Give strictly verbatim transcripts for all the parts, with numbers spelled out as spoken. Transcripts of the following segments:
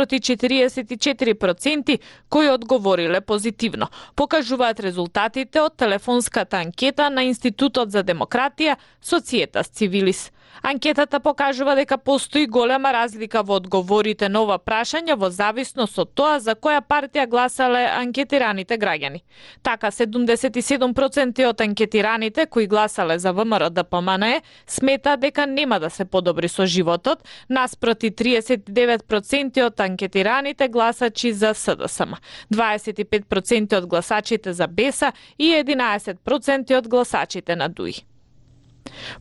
наспроти четириесет и четири проценти кои одговориле позитивно. Покажуваат резултатите од телефонската анкета на Институтот за демократија Societas Civilis. Анкетата покажува дека постои голема разлика во одговорите на ова прашање во зависност од тоа за која партија гласале анкетираните граѓани. Така, седумдесет и седум проценти од анкетираните кои гласале за ВМРО-ДПМНЕ смета дека нема да се подобри со животот, наспроти триесет и девет проценти од анкетираните гласачи за СДСМ, дваесет и пет проценти од гласачите за БЕСА и единаесет проценти од гласачите на ДУИ.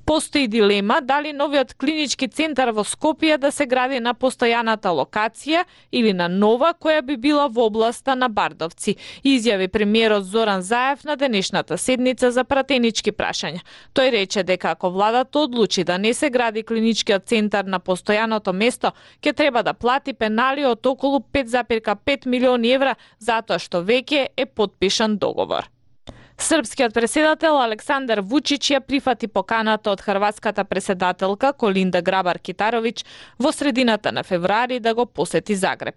Постои дилема дали новиот клинички центар во Скопје да се гради на постојаната локација или на нова која би била во областа на Бардовци, изјави премиерот Зоран Заев на денешната седница за пратенички прашања. Тој рече дека ако владата одлучи да не се гради клиничкиот центар на постојаното место, ќе треба да плати пенали од околу пет запирка пет милиони евра затоа што веќе е потпишан договор. Српскиот преседател Александар Вучич ја прифати поканата од хрватската преседателка Колинда Грабар-Китаровиќ во средината на февруари да го посети Загреб.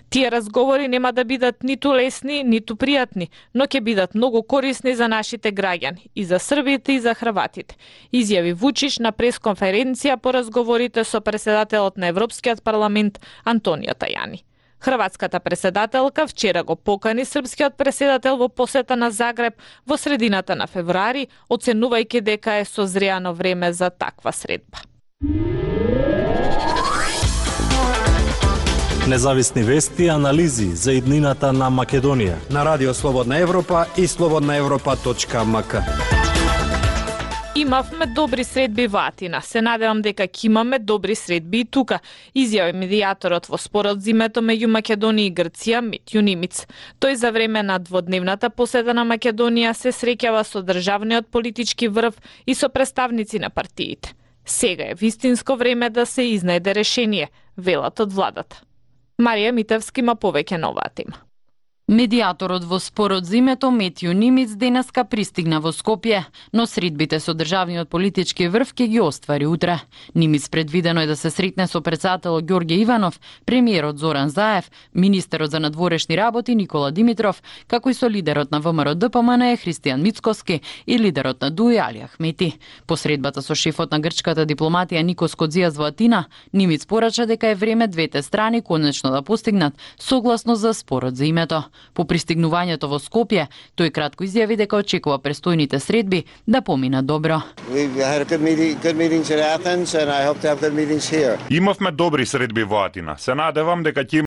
Тие разговори нема да бидат ниту лесни, ниту пријатни, но ќе бидат многу корисни за нашите граѓани, и за србите и за хрватите, изјави Вучич на пресконференција по разговорите со преседателот на Европскиот парламент Антонио Тајани. Хрватската преседателка вчера го покани српскиот преседател во посета на Загреб во средината на февруари, оценувајќи дека е созреано време за таква средба. Независни вести и анализи за иднината на Македонија на Радио Слободна Европа и слободна европа точка ем ка. Имавме добри средби во Атина. Се надевам дека ќе имаме добри средби и тука, изјави медијаторот во спорот зимето меѓу Македонија и Грција Митју Нимиц. Тој за време на дводневната посета на Македонија се среќава со државниот политички врв и со представници на партиите. Сега е вистинско време да се изнајде решение, велат од владата. Марија Митевски има повеќе на оваа тема. Медијаторот во спорот зимето Митју Нимиц денеска пристигна во Скопје, но средбите со државниот политички врв ќе ги оствари утре. Нимиц предвидено е да се сретне со председателот Ѓорѓе Иванов, премиерот Зоран Заев, министерот за надворешни работи Никола Димитров, како и со лидерот на ВМРО-ДПМНЕ Христијан Мицкоски и лидерот на ДУИ Али Ахмети. По средбата со шефот на грчката дипломатија Никос Кодзијас во Атина, Нимиц порача дека е време двете страни конечно да постигнат согласност за спорот за името. По пристигнувањето во Скопје, тој кратко изјави дека очекува престојните средби да поминат добро. Имавме добри средби во Атина. Се надевам дека ќе